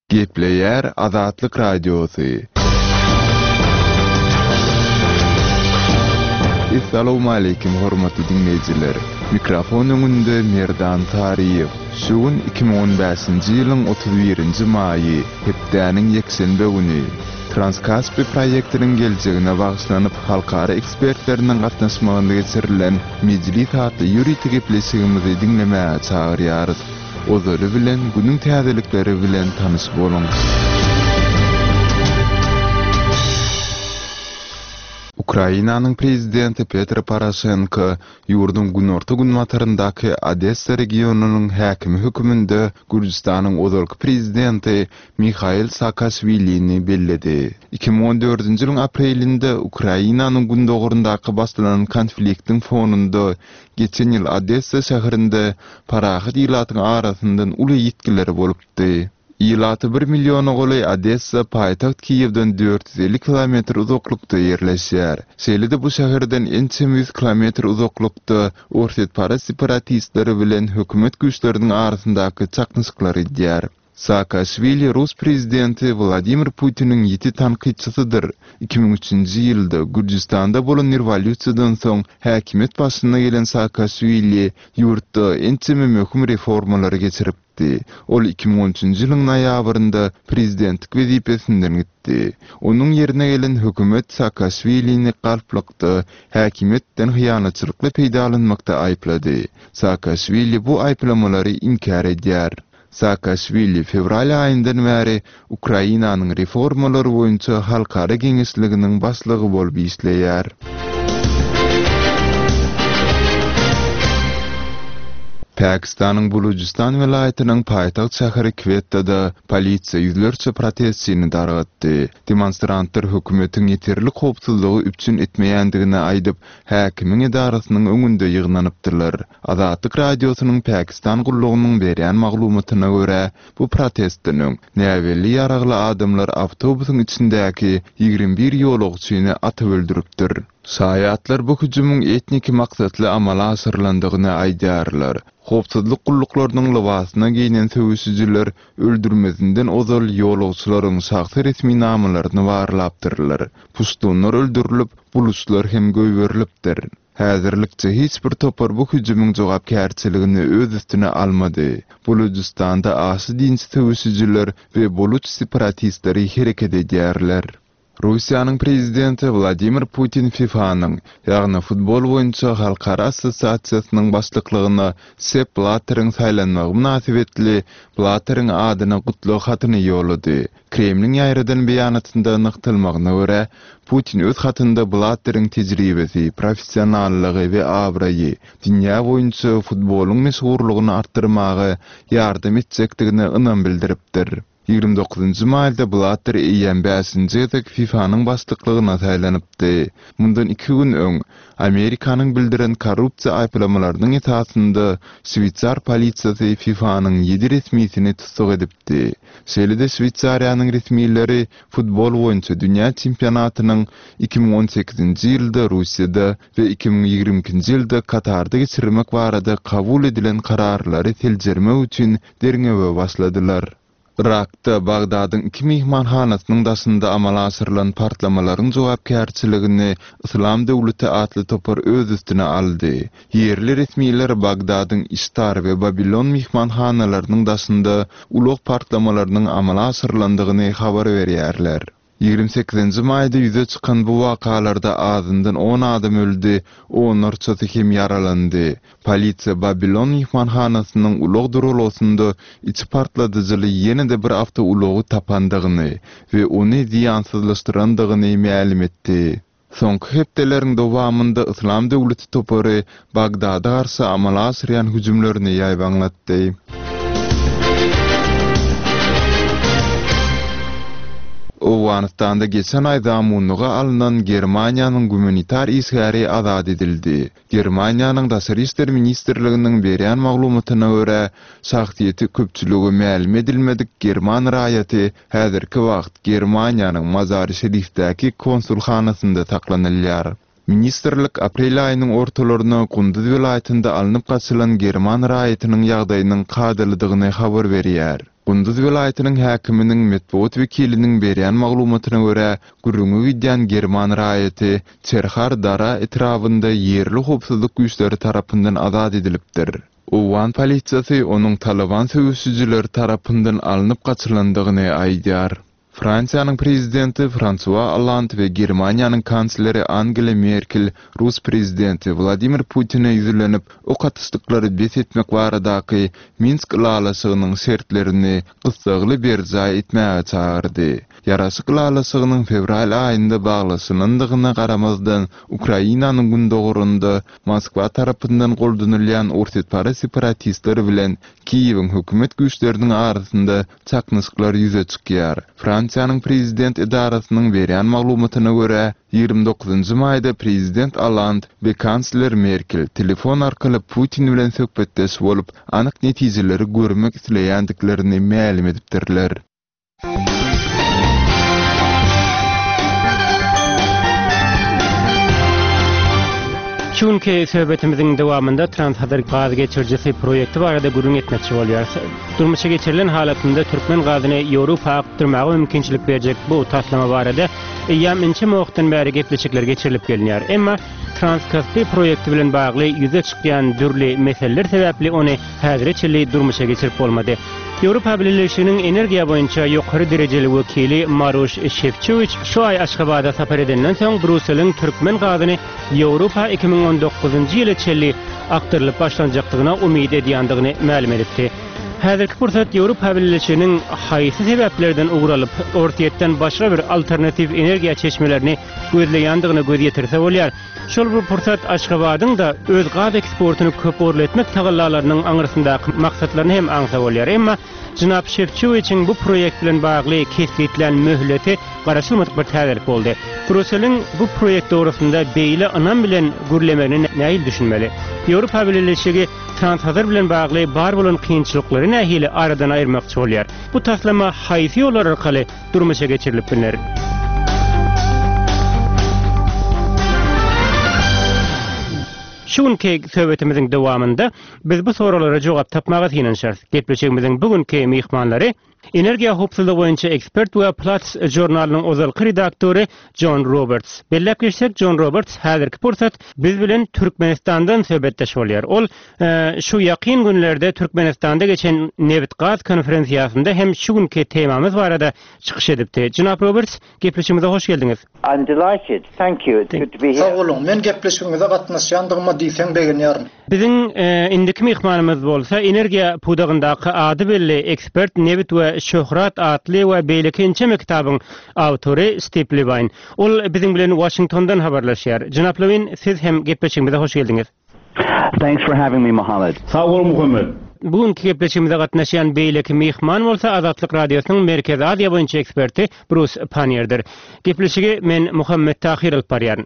Gepleýär Azatlyk Radiosy. Essalawmaleýkim hormatly diňleýjiler! Mikrofon öňünde Merdan Saryýew. Şu gün 2015-nji ýylyň 31-nji maýy, hepdäniň ýekşenbe güni. Transkaspi proýektiniň geljegine bagyşlanyp halkara ekspertleriniň gatnaşmagynda geçirilen Mejlis atly ýörite gepleşigimizi diňlemäge çagyrýarys. Ozaly bilen günüň täzelikleri bilen tanyş boluň. Ukrainanyň prezidenti Petro Poroşenko ýurduň günorta-günbataryndaky Odessa regionynyň häkimi höküminde Gürjüstanyň ozalky prezidenti Mihail Saakaşwilini belledi. 2014-nji ýylyň aprelinde Ukrainanyň gündogaryndaky başlanan konfliktiň fonunda geçen ýyl Odessa şäherinde parahat ilatyň arasyndan uly ýitgiler bolupdy. Ilaty bir milliona golaý Odessa paýtagt Kiýewden 450 kilometr uzaklykda ýerleşýär. Şeýle-de bu şäherden ençeme ýüz kilometr uzaklykda orsýetparaz separatistleri bilen hökümet güýçleriniň arasyndaky çaknyşyklar gidýär. Saakaşwili rus prezidenti Wladimir Putiniň ýiti tankytçysydyr. 2003-nji ýylda Gürjüstanda bolan rewolýusiýadan soň häkimiýet başyna gelen Saakaşwili ýurtda ençeme möhüm reformalary geçiripdi. Ol 2013-nji ýylyň noýabrynda prezidentlik wezipesinden gitdi. Onuň ýerine gelen hökümet Saakaşwilini galplykda, häkimiýetden hyýanatçylykly peýdalanmakda aýyplady. Saakaşwili bu aýyplamalary inkär edýär. Saakaşwili fewral aýyndan bäri Ukrainanyň reformalar boýunça halkara geňeşliginiň başlygy bolup işleýär. Pakistanyň Bulujystan welaýatynyň paýtagt şäheri Kwettada polisiýa ýüzlerçe protestçini dargatdy. Demonstrantlar hökümetiň ýeterlik howpsuzlygy üpjün etmeýändigini aýdyp, häkimiň edarasynyň öňünde ýygnanypdylar. Azatlyk Radiosynyň Pakistan gullugynyň berýän maglumatyna görä, bu protestden öň, näbelli ýaragly adamlar awtobusyň içindäki 21 ýolagçyny atyp öldüripdir. Şaýatlar bu hüjümiň etniki maksatly amala aşyrylandygyny aýdýarlar. Howpsuzlyk gulluklarynyň lybasyna geýnen söweşijiler öldürmezinden ozal ýolagçylaryň şahsy resminamalaryny barlapdyrlar. Puştunlar öldürilip, buluçlar hem goýberilipdir. Häzirlikçe hiç bir topar bu hüjümiň jogapkärçiligini öz üstüne almady. Bulujystanda aşa dinçi söweşijiler we buluç separatistleri hereket edýärler. Russiýanyň prezidenti Wladimir Putin FIFA-nyň, ýagny futbol boýunça halkara assosiasiýasynyň başlyklygyna Sepp Blatteriň saýlanmagy mynasybetli Blatteriň adyna gutlag hatyny ýollady. Kremliň ýaýradan beýanatynda nygtalmagyna görä, Putin öz hatynda Blatteriň tejribesi, professionallygy we abraýy dünýä boýunça futbolyň meşhurlygyny artdyrmaga ýardam etjekdigine ynam bildiripdir. 29-njy maýda Blatter eýýäm bäşinji gezek FIFA-nyň başlyklygyna saýlanypdy. Mundan iki gün öň, Amerikanyň bildiren korrupsiýa aýyplamalarynyň esasynda şweýsar polisiýasy FIFA-nyň ýedi resmisini tussag edipdi. Şeýle-de Şweýsariýanyň resmileri futbol boýunça dünýä çempionatynyň 2018-nji ýylda Russiýada we 2022-nji ýylda Katarda geçirilmek barada kabul edilen kararlary seljermek üçin derňewe başladylar. Yrakda Bagdadyň iki myhmanhanasynyň daşynda amala aşyrylan partlamalaryň jogapkärçiligini Yslam döwleti atly topar öz üstüne aldy. Ýerli resmiler Bagdadyň Iştar we Babilon myhmanhanalarynyň daşynda ulag partlamalarynyň amala aşyrylandygyny habar berýärler. 28-nji maýda ýüze çykan bu wakalarda azyndan on adam öldi, onlarçasy hem ýaralandy. Polisiýa Babilon myhmanhanasynyň ulag duralgasynda içi partladyjyly ýene-de bir awtoulagy tapandygyny we ony zyýansyzlaşdyrandygyny mälim etdi. Soňky hepdeleriň dowamynda Yslam döwleti topary Bagdada garşy amala aşyrýan hüjümlerini ýaýbaňlatdy. Owganystanda geçen aý zamunlyga alnan Germaniýanyň gumanitar işgäri azat edildi. Germaniýanyň Daşary işler ministrliginiň berýän maglumatyna görä, şahsyýeti köpçülige mälim edilmedik german raýaty häzirki wagt Germaniýanyň Mazary-Şerifdäki konsulhanasynda saklanylýar. Ministrlik aprel aýynyň ortalaryna Gunduz welaýatynda alnyp gaçylan german raýatynyň ýagdaýynyň kadalydygyny habar berýär. Gunduz welaýatynyň häkiminiň metbugat wekiliniň berýän maglumatyna görä, gürrüňi gidýän german raýaty Çerhar Dara etrabynda ýerli howpsuzlyk güýçleri tarapyndan azat edilipdir. Owgan polisiýasy onuň Talyban söweşijileri tarapyndan alnyp gaçylandygyny aýdýar. Fransiýanyň prezidenti Fransua Olland we Germaniýanyň kansleri Angela Merkel rus prezidenti Wladimir Putine ýüzlenip, ok atyşlyklary bes etmek baradaky Minsk ylalaşygynyň şertlerini gyssagly berjaý etmäge çagyrdy. Ýaraşyk ylalaşygynyň fewral aýynda baglaşylandygyna garamazdan, Ukrainanyň gündogarynda Moskwa tarapyndan goldanylýan orsýetparaz separatistler bilen Kiýewiň hökümet güýçleriniň arasynda çaknyşyklar ýüze çykýar. Fransiýanyň prezident edarasynyň berýän maglumatyna görä, 29 maýda prezident Olland we kansler Merkel telefon arkaly Putin bilen söhbetdeş bolup, anyk netijeleri görmek isleýändiklerini mälim edipdirler. Şu günki söhbetimiziň dowamynda Transhazar gaz geçirijisi proýekti barada gürrüň etmekçi bolýarys. Durmuşa geçirilen halatynda türkmen gazyny Ýewropa akdyrmaga mümkinçilik berjek bu taslama barada eýýäm ençeme wagtdan bäri gepleşikler geçirilip gelinýär. Emma Transkaspi proýekti bilen bagly ýüze çykýan dürli meseleler sebäpli ony häzire çenli durmuşa geçirip bolmady. Ýewropa Bileleşiginiň energiýa boýunça ýokary derejeli wekili Maroş Şefçowiç şu aý Aşgabada sapar edenden soň Brýusseliň türkmen gazyny Ýewropa 2019-njy ýyla çenli akdyrylyp başlanjakdygyna umyt edýändigini mälim edipdi. Häzirki pursat Ýewropa Bileleşiginiň haýsy sebäplerden ugur alyp, Orsýetden başga bir alternatiw energiýa çeşmelerini gözleýändigine göz ýetirse bolýar. Şol bir pursat Aşgabadyň-da öz gaz eksportyny köpugurly etmek tagallalarynyň aňyrsyndaky maksatlaryny hem aňsa bolýar. Emma jenap Şefçowiçiň bu proýekt bilen bagly kesgitlän möhleti garaşylmadyk bir täzelik boldy. Brýusseliň bu proýekt dogrusynda beýle ynam bilen gürlemegine nähili düşünmeli? Ýewropa Bileleşigi Transhazar bilen bagly bar bolan kynçylyklary nähili aradan aýyrmakçy bolýar? Bu taslama haýsy ýollar arkaly durmuşa geçirilip bilner. Şu günki söhbetimiziň dowamynda biz bu soraglara jogap tapmaga synanyşarys. Gepleşigimiziň bu günki myhmanlary energiýa howpsuzlygy boýunça ekspert we Platts žurnalynyň ozalky redaktory Jon Roberts. Belläp geçsek, Jon Roberts häzirki pursat biz bilen Türkmenistandan söhbetdeş bolýar. Ol Şu ýakyn günlerde Türkmenistanda geçen nebit-gaz konferensiýasynda hem şu günki temamyz barada çykyş edipdi. Jenap Roberts, gepleşigimize hoş geldiňiz. I'm delighted. Thank you. It's good to be here. Sag boluň, men gepleşigiňize gatnaşýandygyma diýseň begenýärin. Biziň indiki myhmanymyz bolsa energiýa pudagyndaky ady belli ekspert, Nebit we şöhrat atly we beýleki ençeme kitabyň awtory Stip Lewin. Ol biziň bilen Waşingtondan habarlaşýar. Jenap Lewin, siz hem gepleşigimize hoş geldiňiz. Thanks for having me Mohammed. Sag bol Muhammet. Bu günki gepleşigimize gatnaşýan beýleki myhman bolsa Azatlyk Radiosynyň Merkezi Aziýa boýunça eksperti Brus Panniýerdir. Gepleşigi men Muhammet Tahyr alyp barýaryn.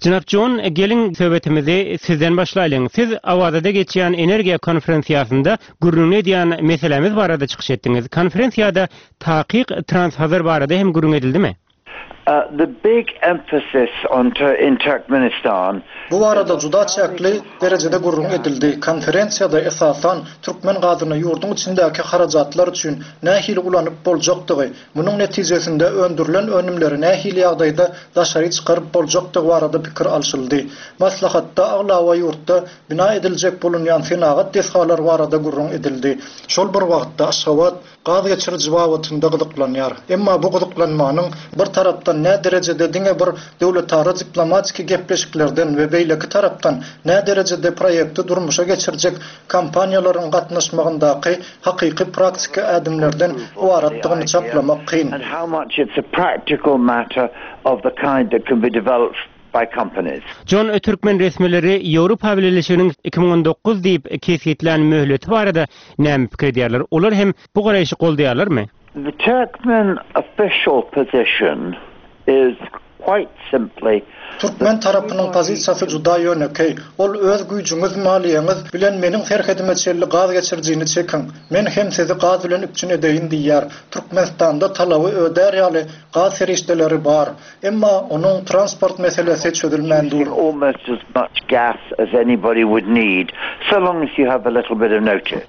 Jenap Jon, geliň söhbetimizi sizden başlaýlyň. Siz Awazada geçýän energiýa konferensiýasynda gürrüňini edýän meselämiz barada çykyş etdiňiz. Konferensiýada takyk Transhazar barada hem gürrüň edildimi? The big emphasis on in Turkmenistan. Bu barada juda çäkli derejede gürrüň edildi. Konferensiýada, esasan, türkmen gazyny ýurduň içindäki harajatlar üçin nähili ulanyp boljakdygy, Munuň netijesinde öndürilen önümleri nähili ýagdaýda daşary çykaryp boljakdygy barada pikir alşyldy. Maslahatda aglaba ýurtda bina ediljek bolunýan senagat desgalary barada gürrüň edildi. Şol bir wagtda Aşgabat gaz geçiriji babatynda gyzyklanýar. Emma bu gyzyklanmanyň bir tarapdan nä derejede diňe bir döwletara diplomatiki gepleşiklerden we beýleki tarapdan nä derejede proýekti durmuşa geçirjek kompaniýalaryň gatnaşmagyndaky hakyky praktiki ädimlerden ybaratdygyny çaklamak kyn. Jon Türkmen resmileri Ýewropa Bileleşiginiň 2019 diýip kesgitlän möhleti barada näme pikir edýärler? Olar hem bu garaýşy goldaýarlarmy? The Turkmen official position is quite simply. Türkmen tarapynyň pozisiýasy juda ýönekeý, ol öz güýjüňiz, maliýeňiz bilen meniň serhedime çenli gaz geçirijini çekiň, men hem sizi gaz bilen üpjün edeýin diýýär. Türkmenistanda talaby ödär ýaly gaz serişdeleri bar. Emma onuň transport meselesi çözülmän dur.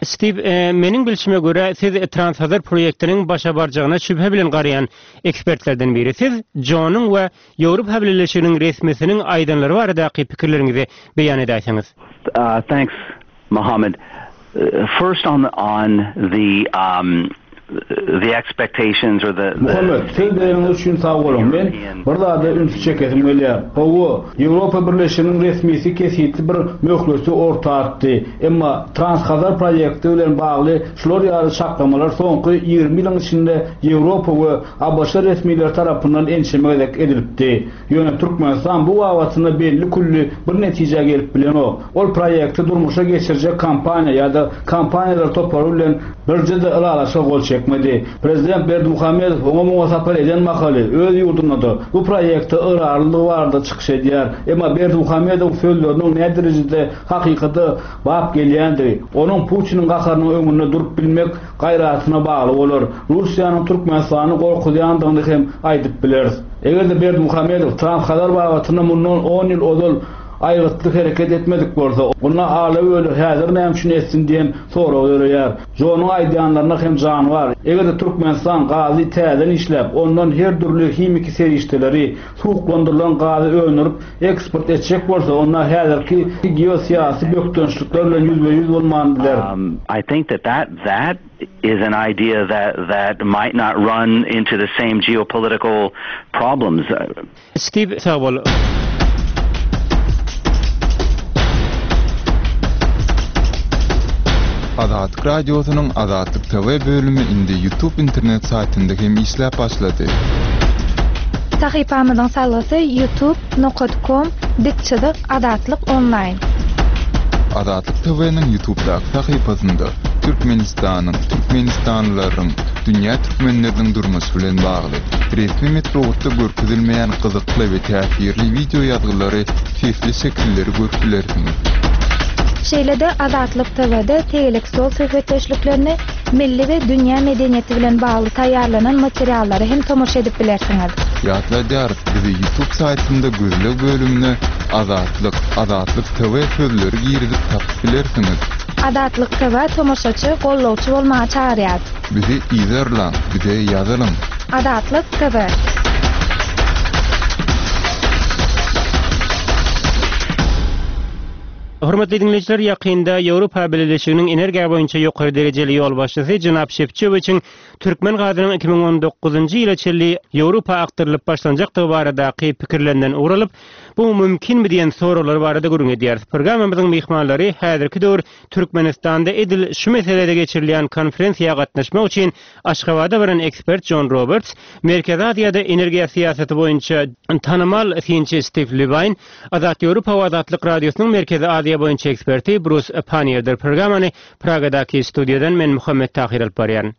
Stiw, meniň bilşime görä, siz Transhazar proýektiniň başa barjagyna şübhe bilen garaýan ekspertlerden biri. Siz Jonyň we Ýewropa Bileleşiginiň resmisiniň aýdanlary baradaky pikirleriňizi beýan edäýseňiz. Thanks Mohammed. First on on the the expectations or the Muhammet, söz bereniňiz üçin sag boluň. Men bir zada ünsi çekesim gelýär. Hawa, Ýewropa Birleşiginiň resmisi kesgitli bir möhleti orta atdy. Emma Transhazar proýekti bilen bagly şular ýaly çaklamalar soňky 20 ýylyň içinde Ýewropa we ABŞ resmileri tarapyndan ençeme gezek edilipdi. Ýöne Türkmenistan bu babatynda belli-külli bir netijä gelip bilenok. Ol proýekti durmuşa geçirjek kompaniýa ýa-da kompaniýalar topary bilen birje-de ylalaşyga gol çekmedi. Prezident Berdimuhamedow oňa-muňa sapar eden mahaly öz ýurdunda-da bu proýekte ygrarlydygy barada çykyş edýär. Emma Berdimuhamedowyň sözleriniň näderejede hakykata bap gelýändigi, onuň Putiniň gaharynyň öňünde durup bilmek gaýratyna bagly bolar. Russiýanyň Türkmenistany gorkuzýandygyny hem aýdyp bileris. Eger-de Berdimuhamedow Transhazar babatynda mundan on ýyl ozal aýgytly hereket etmedik bolsa, onda ala-böle häzir näme üçin etsin diýen sorag döreýär. Jonyň aýdýanlarynda hem jan bar. Eger-de Türkmenistan gazy täzeden işläp, ondan her dürli himiki serişdeleri, suwuklandyrylan gazy öndürip eksport etjek bolsa, onda häzirki geosyýasy bökdençlikler bilen ýüzbe-ýüz bolman biler. I think that that that is an idea that that might not run into the same geopolitical problems. Stiw sag bol. Azatlyk Radiosynyň Azatlyk TV bölümi indi YouTube internet saýtynda hem işläp başlady. Sahypamyzyň salgysy youtube nokat kom dik çyzyk azatlyk onlaýn. Azatlyk TV-niň YouTubedaky sahypasynda Türkmenistanyň, türkmenistanlylaryň, dünýä türkmenleriniň durmuşy bilen bagly, resmi metbugatda görkezilmeýän gyzykly we täsirli wideo ýazgylary, sesli şekilleri görüp bilersiňiz. Şeýle-de Azatlyk TW-de tegelek stol söhbetdeşliklerini, milli we dünýä medeniýeti bilen bagly taýýarlanan materiallara hem tomaşa edip bilersiňiz. Ýatladýarys, bizi YouTube saýtynda gözleg bölümine Azatlyk, Azatlyk TV sözleri girizip tapyp bilersiňiz. Azatlyk TV tomaşaçy, gollawçy bolmaga çagyrýar. Bizi yzarlaň, bize ýazylyň. Azatlyk TV. Hormatly diňleýjiler, ýakynda Ýewropa Bileleşiginiň energiýa boýunça ýokary derejeli ýolbaşçysy jenap Şefçowiçiň türkmen gazynyň 2019-njy ýyla çenli Ýewropa akdyrylyp başlanjakdygy baradaky pikirlerinden ugur alyp, bu mümkinmi diýen soraglar barada gürrüň edýäris. Programmamyzyň myhmanlary häzirki döwür Türkmenistanda edil şu meselede geçirilýän konferensiýa gatnaşmak üçin Aşgabada baran ekspert Jon Roberts, Merkezi Aziýada energiýa syýasaty boýunça tanymal synçy Stiw Lewine, Azat Ýewropa we Azatlyk Radiosynyň Merkezi Aziýa boýunça eksperti Brus Panniýerdir. Programmany Pragadaky studiýadan men Muhammet Tahyr alyp barýaryn.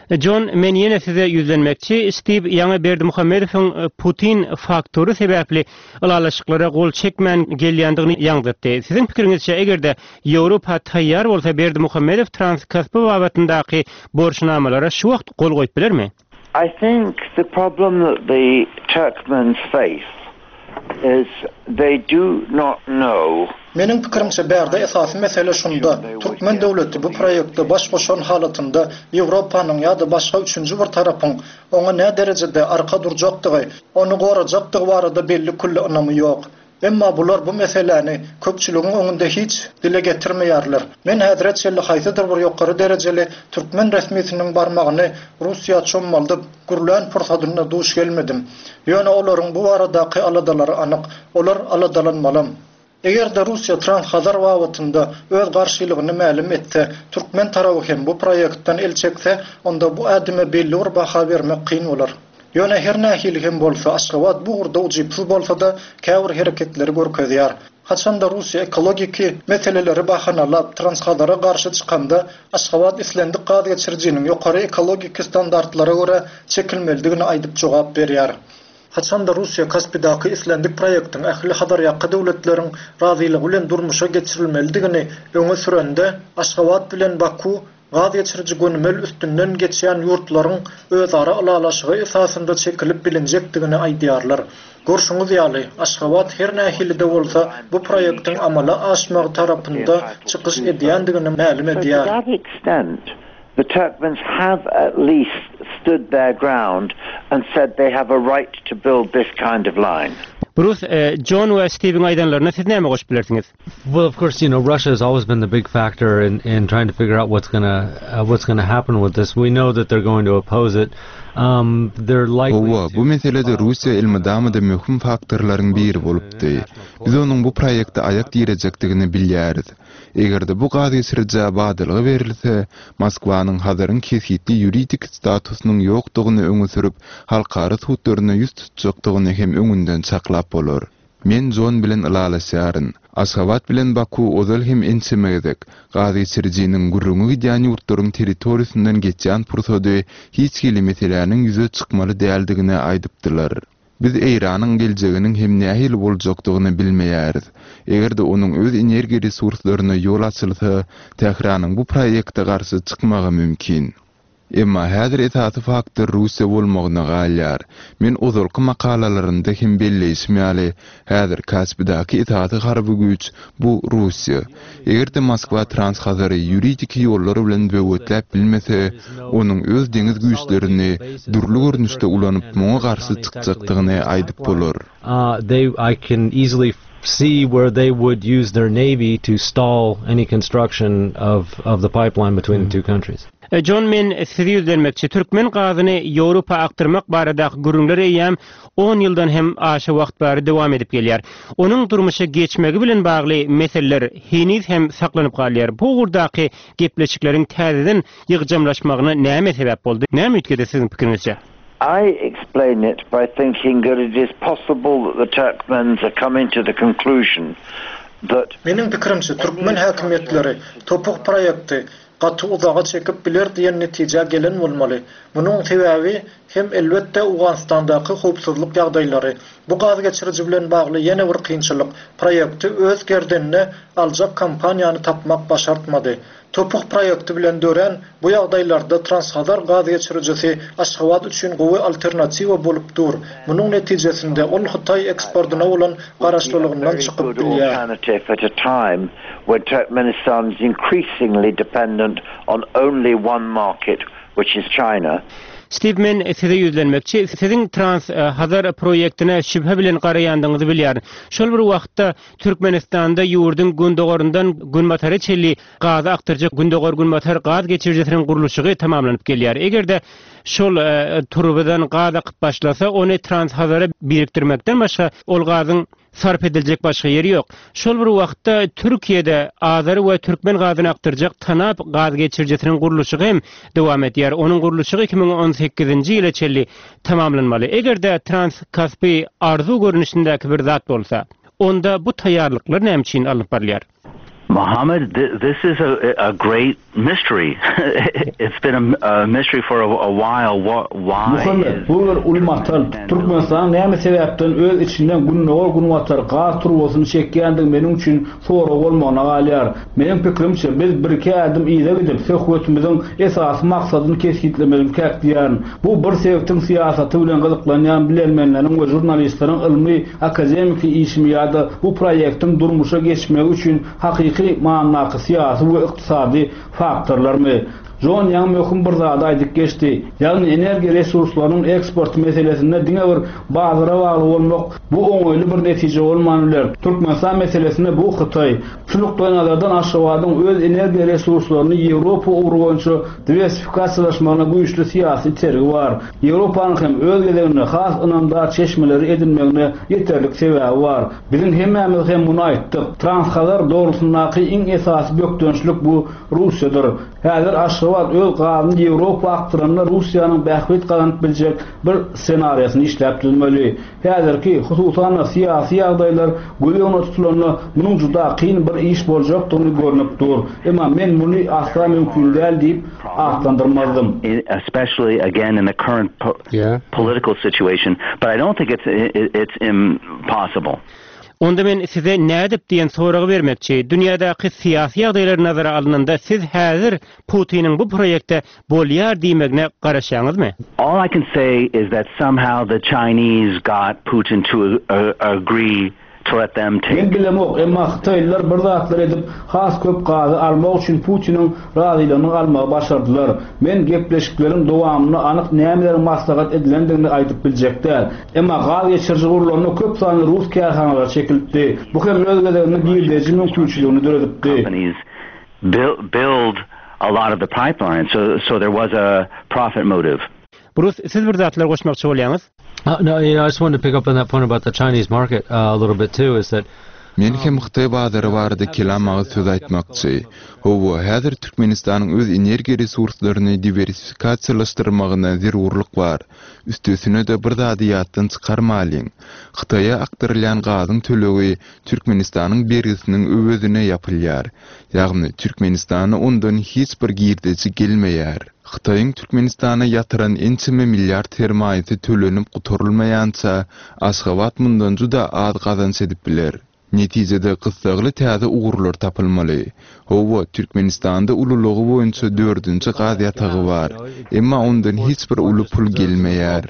Jon, men ýene size ýüzlenmekçi, Stiw ýaňy Berdimuhamedowyň Putin faktory sebäpli ylalaşyklara gol çekmän gelýändigini ýaňzytdy. Siziň pikiriňizçe, eger-de Ýewropa taýýar bolsa Berdimuhamedow Transkaspi babatyndaky borçnamalara şu wagt gol goýup bilermi? I think the problem that the Turkmens face is they do not know. Meniň pikirimçe bärde esasy mesele şunda, türkmen döwleti bu proýekte baş goşan halatynda Ýewropanyň ýa-da başga üçünji bir tarapyň oňa näderejede arka durjakdygy, ony gorajakdygy barada belli-külli ynamy ýok. Emma bular bu meseläni köpçüligiň öňünde hiç dile getirmeýärler. Men häzire çenli haýsydyr bir ýokary derejeli türkmen resmisiniň barmagyny Russiýa çommaldyp gürlän pursadynda duş gelmedim. Ýöne olaryň bu baradaky aladalary anyk. Olar aladalanmalam. Eger-de Russiýa Transhazar babatynda öz garşylygyny mälim etse, türkmen taraby hem bu proýektden el çekse, onda bu ädime belli bir baha bermek kyn bolar. Ýöne her nähili hem bolsa, Aşgabat bu ugurda ujypsyz bolsa-da, käbir hereketleri görkezýär. Haçan-da Russiýa ekologiki meseleleri bahanalap, Transhazara garşy çykanda, Aşgabat islendik gaz geçirijiniň ýokary ekologiki standartlara görä çekilmelidigini aýdyp jogap berýär. Haçanda Russiýa Kaspidaky islendik proýektiň ähli Hazarýaka döwletleriň razylygy bilen durmuşa geçirilmelidigini öňe sürende, Aşgabat bilen Baku gaz geçiriji gönümel üstünden geçýän ýurtlaryň özara ylalaşygy esasynda çekilip bilinjekdigini aýdýarlar. Görşüňiz ýaly, Aşgabat her nähili-de bolsa bu proýektiň amala aşmagy tarapynda çykyş edýändigini mälim edýär. The Turkmens have at least stood their ground and said they have a right to build this kind of line. Brus, Jon we Stiwiň aýdanlaryna siz näme goşup bilersiňiz? Well, of course, you know, Russia has always been the big factor in in trying to figure out what's gonna uh, what's gonna happen with this. We know that they're going to oppose it. Um, they're likely Hawa, bu meselede Russiýa elmydama-da möhüm faktorlaryň biri bolupdy. Biz onuň bu proýekte aýak direjekdigini bilýäris. Eger-de bu gazgeçirijä badalga berilse, Moskwanyň Hazaryň kesgitli ýuridik statusynyň ýokdugyny öňe sürüp, halkara sudlaryna ýüz tutjakdygyny hem öňünden çaklap bolar. Men Jon bilen ylalaşýaryn. Aşgabat bilen Baku ozal hem ençeme gezek, gazgeçirijiniň gürrüňi gidýän ýurtlaryň territoriýasyndan geçýän pursady hiç hili meseläniň ýüze çykmaly däldigini aýdypdylar. Biz Eýranyň geljeginiň hem nähili boljakdygyny bilmeýäris. Eger-de onuň öz energiýa resurslaryna ýol açylsa, Tähranyň bu proýekte garşy çykmagy mümkin. Emma häzir esasy faktor Russiýa bolmagyna galýar. Men ozalky makalalarymda hem belleýşim ýaly, häzir Kaspidaky esasy harby güýç, bu Russiýa. Eger-de Moskwa Trans-Hazary ýuridiki ýollar bilen böwetläp bilmese, onuň öz deňiz güýçlerini dürli görnüşde ulanyp muňa garşy çykjakdygyny aýdyp bolar. see where they would use their navy to stall any construction of of the pipeline between the two countries. Jon men size ýüzlenmekçi. Türkmen gazyny Ýewropa akdyrmak baradaky gürrüňler eýýäm on ýyldan hem aşa wagt bäri dowam edip gelýär. Onuň durmuşa geçmegi bilen bagly meseleler heniz hem saklanyp galýar. Bu ugurdaky gepleşikleriň täzeden ýygjamlaşmagyna näme sebäp boldy? Näme üýtgedi siziň pikiriňizçe? I explain it by thinking that it is possible that the Turkmens are coming to the conclusion that Meniň pikirimçe, türkmen häkimiýetleri TOPH proýekti gaty uzaga çekip biler diýen netijä gelen bolmaly. Munuň sebäbi hem elbetde Owganystandaky howpsuzlyk ýagdaýlary. Bu gaz geçiriji bilen bagly ýene bir kynçylyk, proýekti öz gerdenine aljak kompaniýany tapmak başartmady. TOPH proýekti bilen dörän bu ýagdaýlarda Transhazar gaz geçirijisi Aşgabat üçin gowy alternatiwa bolup dur. Munuň netijesinde ol Hytaý eksportyna bolan garaşlylygyndan çykyp bilýär. When Turkmenistan is increasingly dependent on only one market, which is China. Stiw men size ýüzlenmekçi. Siziň Trans Hazar proýektine şübhe bilen garaýandygyňyzy bilýärin. Şol bir wagtda Türkmenistanda ýurduň gündogaryndan günbatara çenli gazy akdyrjak Gündogar-Günbatar gaz geçirijisiniň gurluşygy tamamlanyp gelýär. Eger-de şol turbadan gaz akyp başlasa, ony Trans Hazara birikdirmekden başga ol gazyň Sarp ediljek başga ýeri ýok. Şol bir wagtda Türkiýede azeri we türkmen gazyny akdyrjak TANAP gaz geçirijisiniň gurluşygy hem dowam edýär. Onuň gurluşygy 2018-nji ýyla çenli tamamlanmaly. Eger-de Trans-Kaspi arzuw görnüşindäki bir zat bolsa, onda bu taýýarlyklar näme üçin alnyp barylýar? Mohammed, this is a, a great mystery. It's been a, a mystery for a, a while. What, why Muhammet, bu bir uly matal. Türkmenistanyň näme sebäpden öz içinden gündogar-günbatar gaz turbasyny çekýändigi meniň üçin sorag bolmagyna galýar. Meniň pikirimçe, biz birki ädim yza gidip, söhbetimiziň esasy maksadyny kesgitlemelikäk diýýärin. Bu bir sebitiň syýasaty bilen gyzyklanýan bilermenleriň we žurnalistleriň ylmy, akademiki işimi ýa-da bu proýektiň durmuşa geçmegi üçin hakyky manydaky syýasy we ykdysady faktorlarmy? Jon Ýang möhüm bir zady aýdyp geçdi, ýagny energiýa resurslarynyň eksporty meselesinde diňe bir bazara bagly bolmak bu oňaýly bir netije bolman biler. Türkmenistan meselesinde bu Hytaý. Şu nukdaýnazardan Aşgabadyň öz energiýa resurslaryny Ýewropa ugry boýunça diwersifikasiýalaşmagyna güýçli syýasy itergi bar. Ýewropanyň hem öz gezeginde has ynamdar çeşmeleri edinmegine ýeterlik sebäbi bar. Biziň hemmämiz hem muny aýtdyk. Transhazar dogrusyndaky iň esasy bökdençlik bu Russiýadyr. Häzir Aşgabat. Aşgabat öz gazyny Ýewropa akdyranda Russiýanyň bähbit gazanyp biljek bir ssenariýasyny işläp düzmeli. Häzirki, hususan-da, syýasy ýagdaýlar göz öňünde tutulanda, munuň juda kyn bir iş boljakdygyny görnüp dur. Emma men muny asla mümkin däl diýip atlandyrmazdym. Especially again in the current political situation, but I don't think it's it's impossible. Onda men size nädip diýen soragy bermekçi. Dünýädäki syýasy ýagdaýlar nazara alnanda siz häzir Putiniň bu proýekte bolýar diýmegine garaşýaňyzmy? All I can say is that somehow the Chinese got Putin to agree to let them take. Men bilemok, emma hytaýlylar bir zatlar edip, has köp gazy almak üçin Putiniň razylygyny almagy başardylar. Men gepleşikleriň dowamynda anyk nämeleriň maslahat edilendigini aýdyp biljek däl. Emma gaz geçiriji gurlanda köp sanly rus kärhanalary çekilipdi. Bu hem öz gezeginde girdeji mümkinçiligini döredipdi. Build a lot of the pipeline, so so there was a profit motive. Brus, siz bir zatlar goşmakçy bolýaňyz? No, you know, I just wanted to pick up on that point about the Chinese market a little bit too, is that Men hem hytaý bazary barada kelam agyz söz aýtmakçy. Hawa, häzir Türkmenistanyň öz energiýa resurslaryny diwersifikasiýalaşdyrmagyna zerurlyk bar. Üstesine-de bir zady ýatdan çykarmalyň. Hytaýa akdyrylýan gazyň tölegi Türkmenistanyň bergisiniň öwezine ýapylýar. Ýagny, Türkmenistana ondan hiç bir girdeji gelmeýär. Hytaýyň Türkmenistana ýatyran ençeme milliard sermaýasy tölenip gutarylmaýança, Aşgabat mundan juda az gazanç edip biler. Netijede, gyssagly täze ugurlar tapylmaly. Hawa, Türkmenistanda ululygy boýunça dördünji gaz ýatagy bar. Emma ondan hiç bir uly pul gelmeýär.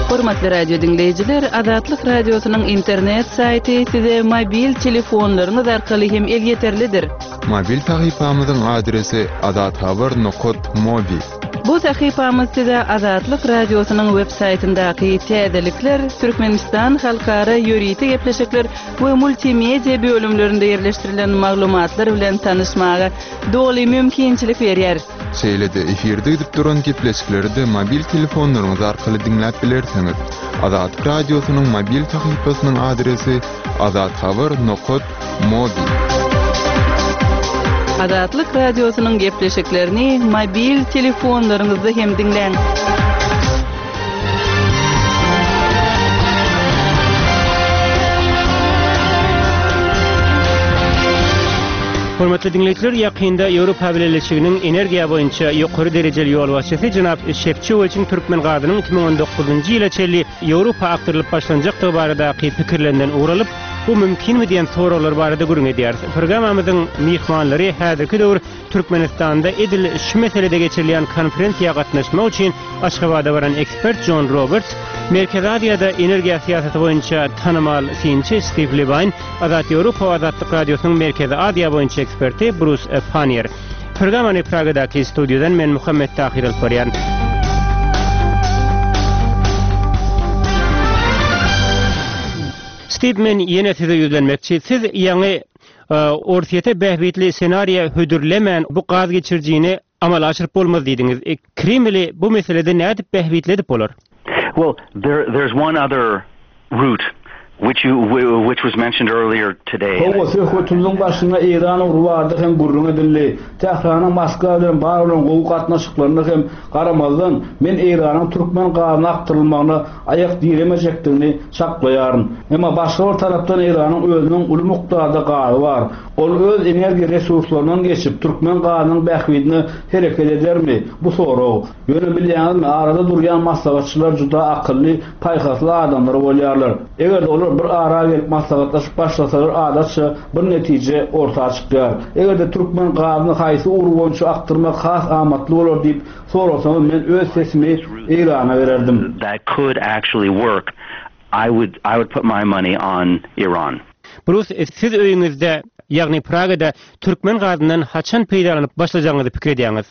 Hormatly radio diňleýjiler, Azatlyk Radiosynyň internet saýty size mobil telefonlaryňyz arkaly hem elýeterlidir. Mobil sahypamyzyň adresi azathabar nokat mobi. Bu sahypamyz size Azatlyk Radiosynyň web saýtyndaky täzelikler, Türkmenistan halkara ýörite gepleşikler we multimedia bölümlerinde ýerleşdirilen maglumatlar bilen tanyşmaga doly mümkinçilik berýär. Şeýle-de efirde gidip duran gepleşikleri-de mobil telefonlaryňyz arkaly diňläp bilersiňiz. Azatlyk Radiosynyň mobil sahypasynyň adresi azathabar nokat mobi. Azatlyk Radiosynyň gepleşiklerini mobil telefonlaryňyzda hem diňläň. Hormatly diňleýjiler, ýakynda Ýewropa Bileleşiginiň energiýa boýunça ýokary derejeli ýolbaşçysy jenap Şefçowiçiň türkmen gazynyň 2019-njy ýyla çenli Ýewropa akdyrylyp başlanjakdygy baradaky pikirlerinden ugur alyp, bu mümkinmi diýen soraglar barada gürrüň edýäris. Programmamyzyň myhmanlary häzirki döwür Türkmenistanda edil şu meselede geçirilýän konferensiýa gatnaşmak üçin Aşgabada baran ekspert Jon Roberts, Merkezi Aziýada energiýa syýasaty boýunça tanymal synçy Stiw Lewaýn, Azat Ýewropa we Azatlyk Radiosynyň Merkezi Aziýa boýunça eksperti Brus Pannier. Programmany Pragadaky studiýadan men Muhammet Tahyr alyp barýaryn. Stiw, men ýene size ýüzlenmekçi. Siz ýaňy Orsýete bähbitli ssenariýa hödürlemän bu gaz geçirijini amala aşyryp bolmaz diýdiňiz. Kremli bu meselede nädip bähbitli edip bolar? Well, there there's one other route which you which was mentioned earlier today. Hawa, söhbetimiziň başynda Eýran ugry barada hem gürrüň edildi. Tähranyň Moskwa bilen bar bolan gowy gatnaşyklaryna hem garamazdan, men Eýranyň türkmen gazyny akdyrylmagyna aýak diremejekdigini çaklaýaryn. Emma başga bir tarapdan Eýranyň özüniň uly mukdarda gazy bar. Ol öz energiýa resurslaryndan geçip, türkmen gazynyň bähbidine hereket edermi? Bu sorag. Ýöne bilýäňizmi, arada durýan maslahatçylar juda akylly, paýhasly adamlar bolýarlar. Eger-de olar bir ara gelip maslahatlaşyp başlasalar adatça bir netije orta çykýar. Eger-de türkmen gazyny haýsy ugur boýunça akdyrmak has amatly bolar diýip Sorasaňyz men öz sesimi Eýrana bererdim. That could actually work I would I would put my money on Iran. Brus, siz öýüňizde, ýagny Pragada türkmen gazyndan haçan peýdalanyp başlajagyňyzy pikir edýäňiz?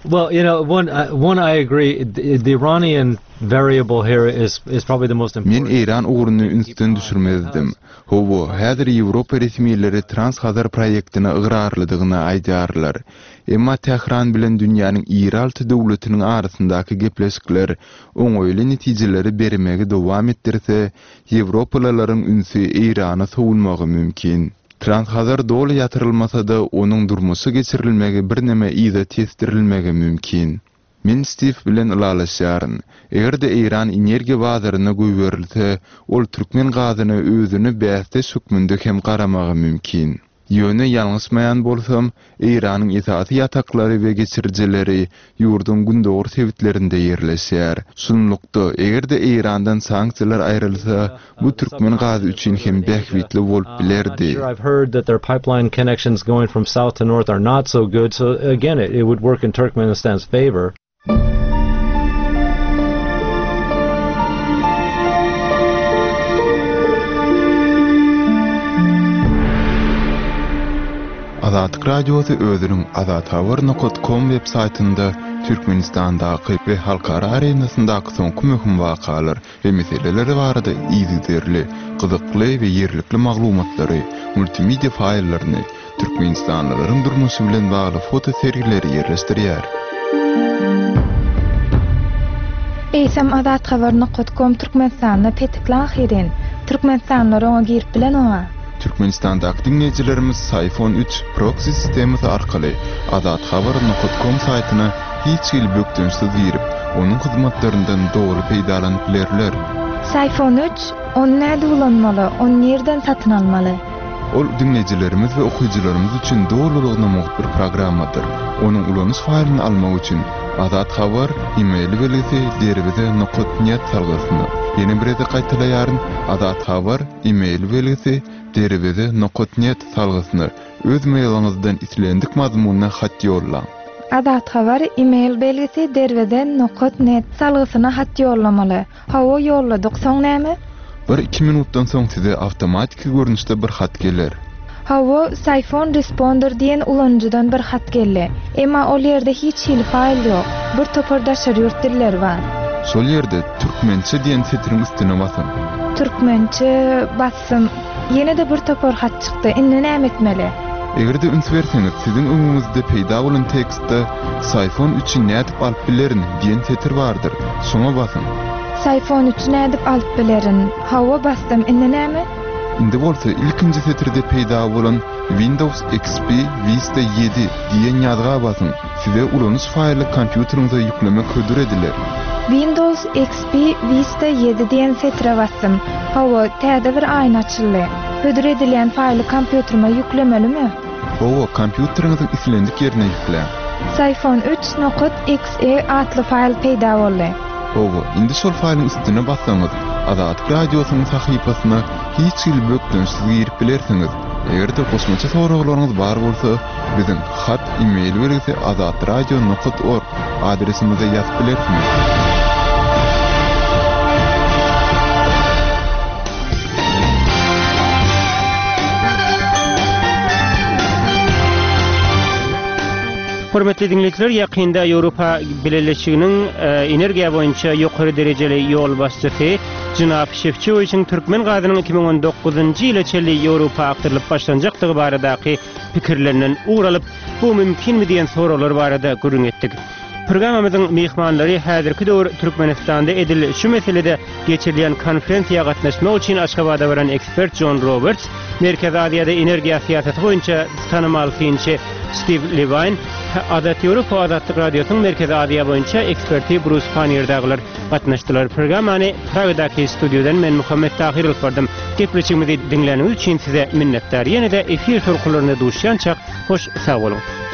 Well, you know, one, one I agree, the Iranian variable here is, is probably the most important. Men Eýran ugruny ünsden düşürmezdim. Hawa, häzir Ýewropa resmileri Trans-Hazar proýektine ygrarlydygyny aýdýarlar. Emma Tähran bilen dünýäniň iri alty döwletiniň arasyndaky gepleşikler oňaýly netijeleri bermegi dowam etdirse, ýewropalylaryň ünsi Eýrana sowulmagy mümkin. Transhazar doly ýatyrylmasa-da, onuň durmuşa geçirilmegi birneme yza tesdirilmegi mümkin. Men Stiw bilen ylalaşýaryn. Eger-de Eýran energiýa bazaryna goýberilse, ol türkmen gazyna özüne bäsdeş hökmünde hem garamagy mümkin. Ýöne ýalňyşmaýan bolsam, Eýranyň esasy ýataklary we geçirijileri ýurduň gündogar sebitlerinde ýerleşýär. Şunlukda, eger-de Eýrandan sanksiýalar aýrylsa, bu türkmen gazy üçin hem bähbitli bolup bilerdi. Azatlyk Radiosy özüniň azathabar nokat kom web saýtynda Türkmenistandaky we halkara arenasyndaky soňky möhüm wakalar we meseleler barada yzygiderli, gyzykly we ýerlikli maglumatlary, multimedia faýllaryny, Türkmenistanlylaryň durmuşy bilen bagly foto sergileri ýerleşdirýär. Eýsem Azathabar nokat kom Türkmenistanda petikli ahyryn. Türkmenistanlylar oňa girip bilenoga. Türkmenistandaky diňleýjilerimiz Syfon üç proksi sistemasy arkaly Azathabar nokat kom saýtyna hiç hili bökdençsiz girip, onuň hyzmatlaryndan doly peýdalanyp bilerler. Syfon üç, ony nädip ulanmaly, ony nirden satyn almaly? Ol diňleýjilerimiz we okyjylarymyz üçin dolulygyna mugt bir programmadyr. Onuň ulanyş faýlyny almak üçin Azat Habar e-mail belgisi derweze nokat net salgysyna, ýene bir gezek gaýtalaýaryn, Azat Habar e-mail belgisi derweze nokat net salgysyna öz mailiňizden islendik mazmunda hat ýollaň. Azat Habar e-mail belgisi derweze nokat net salgysyna hat ýollamaly. Hawa ýolladyk, soň näme? Bir-iki minutdan soň size awtomatiki görnüşde bir hat geler. Hawa, Syphon Responder diýen ulanyjydan bir hat geldi. Emma ol ýerde hiç hili faýl ýok. Bir topar daşary ýurt dilleri bar. Şol ýerde Türkmençe diýen setiriň üstüne basyň. Türkmençe basdym. Ýene-de bir topar hat çykdy. Indi näme etmeli? Eger-de üns berseňiz, siziň öňüňizde peýda bolan tekstde Syphon üçi nädip alyp bilerin diýen setir bardyr. Şoňa basyň. Syphon üçi nädip alyp bilerin? Hawa, basdym. Indi näme? Indi bolsa ilkinji setirde peýda bolan Windows XP Vista ýedi diýen ýazga basyň. Size ulanyş faýly kompýuteriňize ýüklemek hödür ediler. Windows XP Vista ýedi diýen setire basdym. Hawa, täze bir aýna açyldy. Hödür edilýän faýly kompýuterime ýüklemelimi? Hawa, kompýuteriňiziň islendik ýerine ýükläň. Syphon üç nokat XE atly faýl peýda boldy. Hawa, indi şol faýlyň üstüne bassaňyz, Azatlyk Radiosynyň sahypasyna hiç hili bökdençsiz girip bilersiňiz. Eger-de goşmaça soraglaryňyz bar bolsa, biziň hat e-mail belgisi azatradio nokat org adresimize ýazyp bilersiňiz. Hormatly diňleýjiler, ýakynda Ýewropa Bileleşiginiň energiýa boýunça ýokary derejeli ýolbaşçysy Jenap Şefçowiçiň türkmen gazynyň 2019-njy ýyla çenli Ýewropa akdyrylyp başlanjakdygy baradaky pikirlerinden ugur alyp, bu mümkinmi diýen soraglar barada gürrüň etdik. Programmamyzyň myhmanlary häzirki döwür Türkmenistanda edil şu meselede geçirilýän konferensiýa gatnaşmak üçin Aşgabada baran ekspert Jon Roberts, Merkezi Aziýada energiýa syýasaty boýunça tanymal synçy Stiw Lewaýn, Azat Ýewropa Azatlyk Radiosynyň Merkezi Aziýa boýunça eksperti Brus Pannier dagylar gatnaşdylar. Programmany Pragadaky studiýadan men Muhammet Tahyr alyp bardym. Gepleşigimizi diňläniňiz üçin size minnetdar. Ýene-de efir tolkunlarynda duşýançak hoş sag boluň.